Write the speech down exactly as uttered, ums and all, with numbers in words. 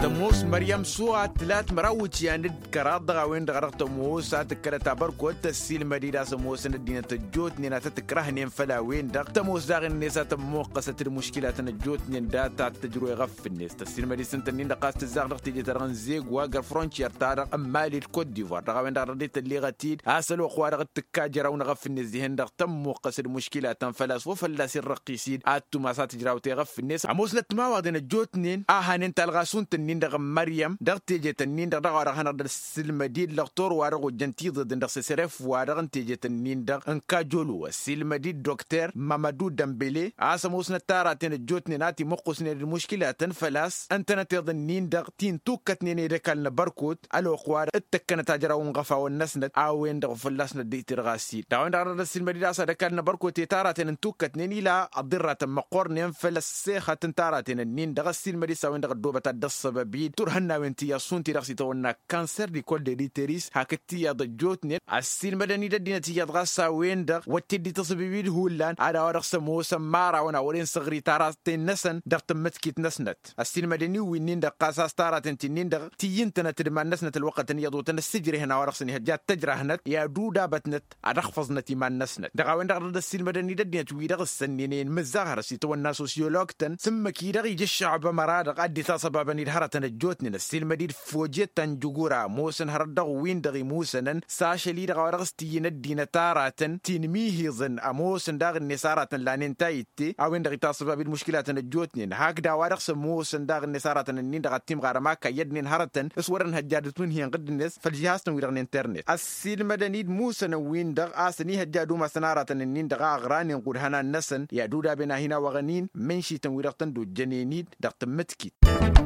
Tămoos măryăm s-wa tǝlat măraw iwǝtyan d-kăraḍ dăɣ-a-wen-dăɣ a dăɣ-tămoos a tǝkkălăt abărkot tăssiilmăd-dd a-s ămoosăn ăddinăt ăjjootnen a tăt-ǝkrăhnen făll-a-wen-dăɣ tămoos daɣ-net a tămmuqqăsăt d-muškilatăn ăjjootnen data t-tǝjrǝw i-iɣăf-net tăssiilmăd-dd s-ǝnta-nin-dăɣ a-s tǝzzaɣ dăɣ-teje-ta-dăɣ n-zegwa găr-frăntiyer-ta-dăɣ n-mali d-kot divoir dăɣ-a-wen-dăɣ a dăɣ-dd-tălleɣăt-dd a-s ălwăqq-wa-dăɣ t-tǝkka jăraw n-iɣăf-net dihen-dăɣ tămmuqqăs d-muškilatăn făl-a-s wa fălla-s irrăqqis-dd ad-tumas a tǝjrawt i-iɣăf-net ămoosnăt timawaḍen ăjjootnen a hanen talɣa s-unta-nin-dăɣ n-măryăm dăɣ-tejet-nin-dăɣ dăɣ-a-wa-dăɣ hanăɣ-dd-ăssiilmăd-dd lăɣtor-wa-dăɣ ojjăn tiḍeḍen dăɣ-s s-eref-wa-dăɣ n-tejet-nin-dăɣ n-kajolu ăssiilmăd-dd dokter mamădu dămbele a-s ămoosnăt taraten ăjjootnen a timǝqqusnen d-muškilatăn făl-a-s ǝntănăteḍ-nin-dăɣ ti n-tukkătnen i-dd-ăkall n-abărkot ălwăqq-wa-dăɣ d-tăkkănăt ajrawăn iɣăfawăn-năsnăt a-wen-dăɣ fălla-s năddăy tirɣas-in dăɣ-a-wen-dăɣ a dăɣ-dd-ăssiilmăd-dd a-s ad-ăkall n-abărkot i-taraten n-tukkătnen ila ăḍirratăn măqqornen făll-ăssexăt n-taraten-nin-dăɣ ăssiilmăd-dd s-a-wen-dăɣ ăddoobăt ad-dd-ăssăbăb-dd turhănnawen tiyyăḍ šund-ti-dăɣ s-itawănna kanser d-ikol d-editeris hakd tiyyăḍ ăjjootnen ăssiilmădăn-dd ăddinăt iyyăḍ ɣas a-wen-dăɣ wăr t-dd-ităṣbib-dd hullan ad-a-wa-dăɣ s-ămoosăn imărawăn a wăren săɣri taraten-năsăn dăɣ-tǝmmǝtkit-năsnăt ăssiilmădăn-in wi-nin-dăɣ ɣas a-s taraten ti-nin-dăɣ tǝyyǝntănăt d-iman-năsnăt ălwăqqătăn iyyăḍ wătăn ăssijrehen a-wa-dăɣ s-ănihăjja d-tăjrahnăt i-ad-udabătnăt ad-ăxfăẓnăt iman-năsnăt dăɣ-a-wen-dăɣ a dăɣ-dd-ăssiilmădăn-dd ăddinăt-wi-dăɣ ǝssănninen mǝzzaɣ hărăt s-itawănna sosyolog-tăn s-ǝmmǝk-i-dăɣ ija ăššăɣba măra-dăɣ a dd-itasăbabăn-dd hărătăn ăjjootnen ăssiilmăd-dd fojet ta n-jugura ămoosăn hărăt dăɣ-win-dăɣ imusănăn s-ašăl-i-dăɣ a-wa dăɣ-s tǝyyǝn ăddinăt aratăn ti n-imihiḍăn ămoosăn daɣ-net aratăn lanen tayǝtte a-wen-dăɣ itasăbab-dd muškilatăn ăjjootnen hakd a-wa dăɣ-s ămoosăn daɣ-net aratăn-ǝnnin-dăɣ a timɣarăm a kayyădnen hărătăn s-wărăn hăjjadăt wǝnhǝyăn ɣǝdd-net făll-žihaz-tăn-wi-dăɣ n-internet ăssiilmădăn-dd musănăn-win-dăɣ a-s ănihăjja ad-umasăn aratăn-ǝnnin-dăɣ a ăɣranen ɣud hănan-năsăn i-ad-udaben a hin-awăɣăn-in mǝnšităn-wi-dăɣ tăn-dd-ojjănen-dd dăɣ-tǝmmǝtkit.